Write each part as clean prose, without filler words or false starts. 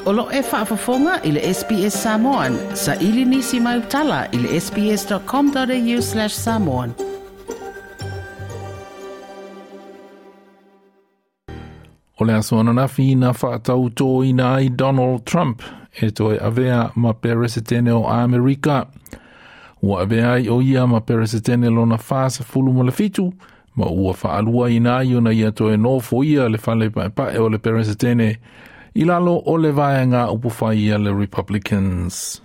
O lo e faafofoga i le SBS Samoan. Saili nisi mai utala i le sbs.com.au/samoan. O le aso ananafi na faatautōina ai Donald Trump e toe avea ma Peresetene o Amerika. Ua avea ai o ia ma Peresetene lona 47 ma ua faaluaina ai ona ia toe nofoia le fale paepae o le Peresetene i lalo o le vaega upufai a le Republicans.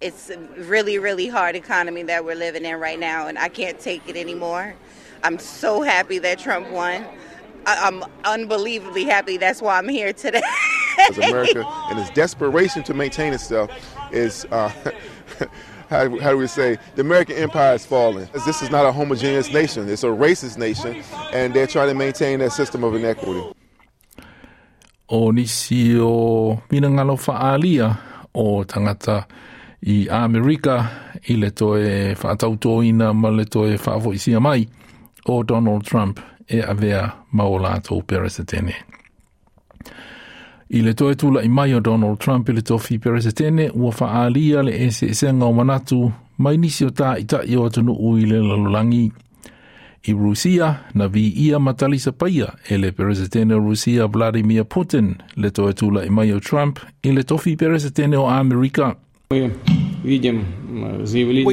It's a really, really hard economy that we're living in right now, and I can't take it anymore. I'm so happy that Trump won. I'm unbelievably happy. That's why I'm here today. As America, in its desperation to maintain itself, is, how do we say, the American empire is falling. This is not a homogeneous nation. It's a racist nation, and they're trying to maintain that system of inequity. O nisi o finagalo faaalia o tagata i Amerika i le toe faatautōina ma le toe faafoisia mai o Donald Trump e avea ma o latou Peresetene. I le toe tula'i mai o Donald Trump i le tofi Peresetene, ua faaalia le eseesega o manatu mai nisi o ta'ita'i o atunuu i le lalolagi. I Rusia, na viia ma talisapaia e le Peresetene o Rusia Vladimir Putin le toe tula'i mai o Trump i le tofi Peresetene o Amerika. We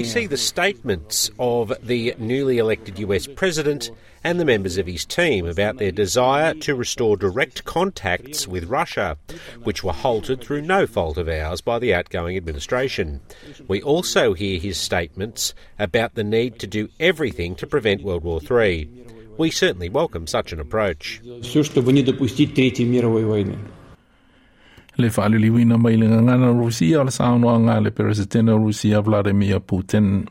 see the statements of the newly elected US president and the members of his team about their desire to restore direct contacts with Russia, which were halted through no fault of ours by the outgoing administration. We also hear his statements about the need to do everything to prevent World War III. We certainly welcome such an approach. Le faaliliuina mai le gagana Rusia o le saunoaga a le Peresetene o Rusia Vladimir Putin.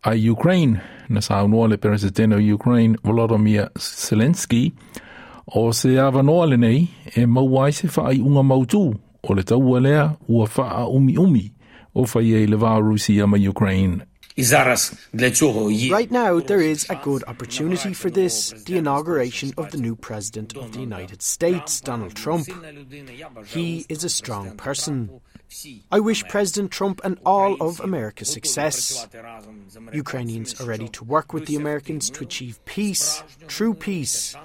A Ukraine, na saunoa le Peresetene o Ukraine Volodymyr Zelensky, o se avanoa lenei e maua ai se faaiuga mautū o le taua lea ua faaumiumi o fai ai le va o Rusia ma Ukraine. Right now, there is a good opportunity for this, the inauguration of the new President of the United States, Donald Trump. He is a strong person. I wish President Trump and all of America success. Ukrainians are ready to work with the Americans to achieve peace, true peace.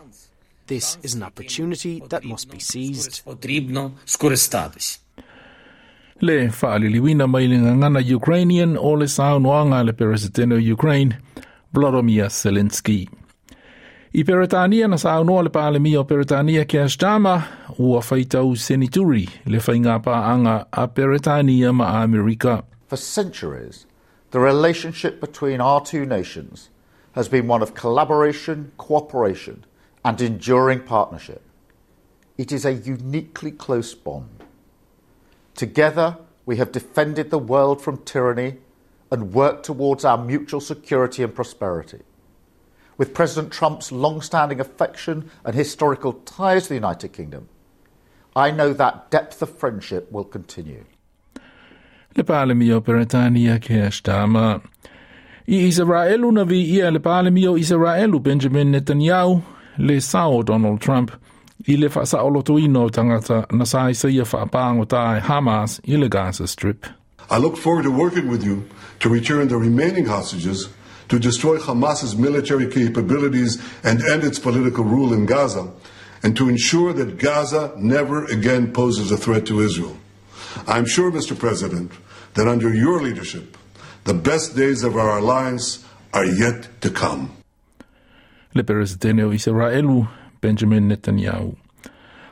This is an opportunity that must be seized. Le faaliliuina mai le gagana Ukrainian o le saunoaga a le Peresetene o Ukraine, Volodymyr Zelensky. I Peretania na saunoa le Palemia o Peretania Keir Starmer ua faitau senituri le faigapaaga a Peretania ma Amerika. For centuries, the relationship between our two nations has been one of collaboration, cooperation and enduring partnership. It is a uniquely close bond. Together, we have defended the world from tyranny and worked towards our mutual security and prosperity. With President Trump's long-standing affection and historical ties to the United Kingdom, I know that depth of friendship will continue. Le Palemia o Peretania Keir Starmer. I Israelu na viia le Palemia o Israelu Benjamin Netanyahu le sao o Donald Trump i le faasaolotoina o tagata na sa isaia faapagota e Hamas i le Gaza Strip. I look forward to working with you to return the remaining hostages, to destroy Hamas's military capabilities and end its political rule in Gaza, and to ensure that Gaza never again poses a threat to Israel. I'm sure, Mr. President, that under your leadership, the best days of our alliance are yet to come. Le Peresetene o Israelu, Benjamin Netanyahu.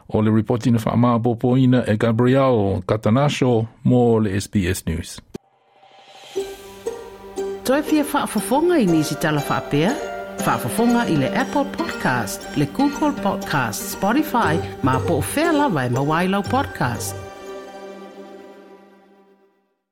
O le ripoti na faamaopoopoina e Gabriel Katanasho mo le SBS News. Toe fia faafofoga i nisi tala faapea? Faafofoga i le Apple Podcast, le Google Podcast, Spotify, ma po o fea lava e maua ai lau podcast.